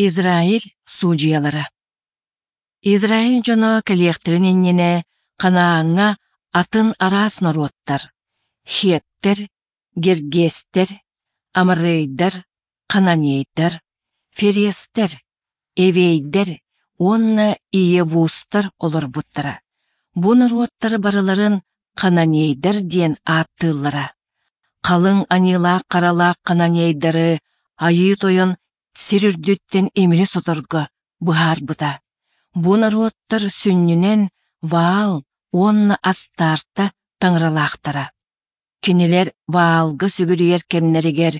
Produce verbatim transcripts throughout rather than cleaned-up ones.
Израиль судьуйалара Израиль дьоно кэлиэхтэрин иннинэ Ханааҥҥа атын араас норуоттар: хеттэр, гергестэр, аморейдар, хананейдар, ферестэр, эвейдэр уонна иевустар олорбуттара. Бу норуоттары барыларын хананейдар диэн ааттыыллара. Халыҥ аньыылаах-харалаах хананейдары Айыы Тойон сир үрдүттэн имири соторго быһаарбыта. Бу норуоттар сүнньүнэн Ваал уонна Астарта таҥаралаахтара. Кинилэр Ваалга сүгүрүйэр кэмнэригэр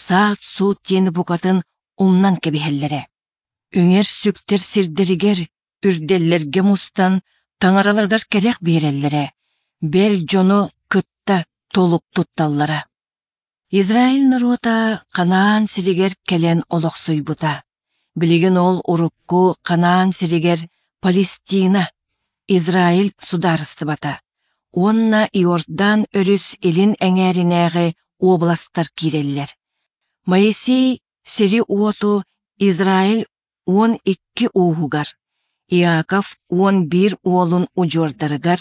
саат-суут диэни букатын умнан кэбиһэллэрэ. Үҥэр-сүктэр сирдэригэр, үрдэллэргэ мустан таҥараларыгар кэрэх биэрэллэрэ, бэл дьону кытта толук тутталлара. Израиль норуота Ханаан сиригэр кэлэн олохсуйбута. Билигин ол урукку Ханаан сиригэр Палестина, Израиль судаарыстыбата уонна Иордан өрүс илин эҥээринээҕи уобаластар киирэллэр. Моисей сири-уоту Израиль уон икки ууһугар, Иаков уон биир уолун удьуордарыгар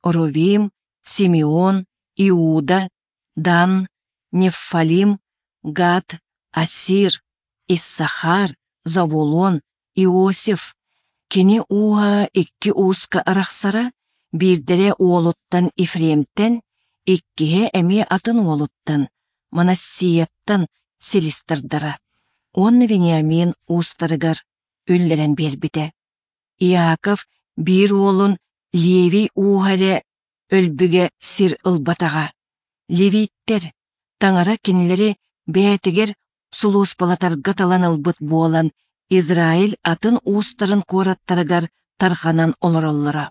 Рувим, Симеон, Иуда, Дан, Неффалим, Гад, Асир, Иссахар, Завулон, Иосиф. Кини ууһа икки ууска арахсара, биирдэрэ уолуттан Ефремтэн, иккиһэ эмиэ атын уолуттан, Манассияттан силис тардара. Уонна Вениамин уустарыгар үллэрэн биэрбитэ. Иаков биир уолун Левий ууһа эрэ өлбүгэ сир ылбатаҕа. Левиттэр, Таҥара кинилэри бэйэтигэр сулууспалатарга талан ылбыт буолан, Израиль атын уустарын куораттарыгар тарҕанан олороллоро.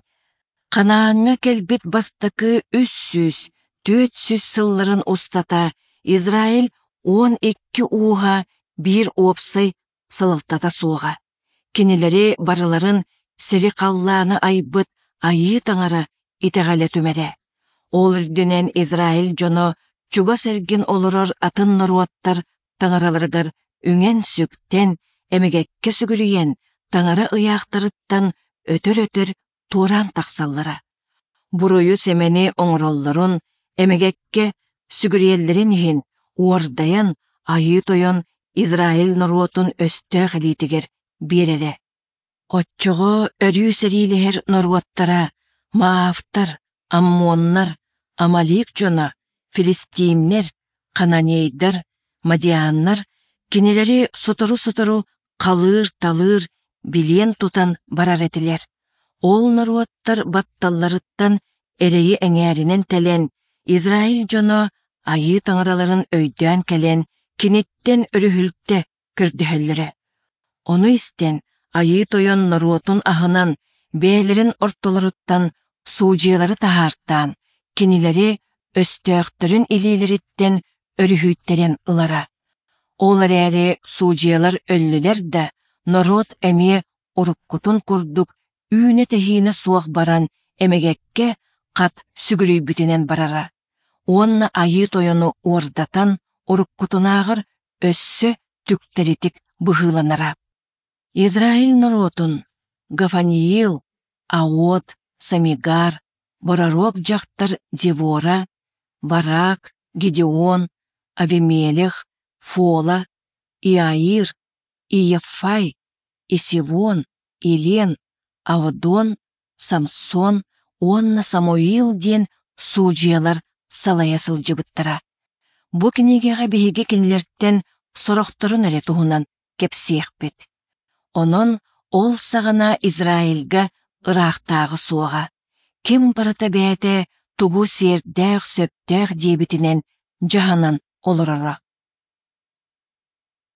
Ханааҥҥа кэлбит бастакы үс сүүс, түөрт сүүс сылларын устата Израиль уон икки ууһа биир уопсай салалтата суоҕа. Кинилэри барыларын сири-халлааны айбыт Айыы Таҥара итэҕэлэ түмэрэ. Ол үрдүнэн Израиль дьоно чугас эргин олорор атын норуоттар таҥараларыгар үҥэн-сүктэн, эмэгэккэ сүгүрүйэн, таҥара ыйаахтарыттан өтөр-өтөр туораан тахсаллара. Буруйу-сэмэни оҥороллорун, эмэгэккэ сүгүрүйэллэрин иһин уордайан Айыы Тойон Израиль норуотун өстөөх илиитигэр биэрэрэ. Оччоҕо өрүү сэриилэһэр норуоттара Маавтар, Аммоннар, Амалик дьоно, филистимнэр, хананейдар, мадианнар кинилэри сотору-сотору халыыр-талыыр, билиэн тутан барар этилэр. Ол норуоттар батталларыттан эрэйи эҥээринэн тэлэн, Израиль дьоно Айыы таҥараларын өйдөөн кэлэн, киниттэн өрүһүлтэ көрдөһөллөрө. Ону истэн, Айыы Тойон норуотун аһынан, бэйэлэрин ортолоруттан суудьуйалары таһаартаан, кинилэри өстөөхтөрүн илиилэриттэн өрүһүйтэрэн ылара. Ол эрээри суудьуйалар өллүлэр да, норуот эмиэ уруккутун курдук үүнэ-тэһиинэ суох баран эмэгэккэ хат сүгүрүйбүтүнэн барара. Уонна Айыы Тойону уордатан уруккутунааҕар өссө түктэритик быһыыланара. Израиль норуотун Гафаниил, Аот, Самигар, бороруок дьахтар Девора, Барак, Гедеон, Авимелех, Фола, Иаир, Иеффай, Исивон, Илен, Авдон, Самсон уонна Самуил диэн суудьуйалар салайа сылдьыбыттара. Бу кинигэҕэ биһиги кинилэртэн сорохторун эрэ туһунан кэпсиэхпит. Онон ол саҕана Израильга ыраахтааҕы суоҕа. Ким барыта бэйэтэ тугу сиэрдээх-сөптөөх диэбитинэн дьаһанан олороро.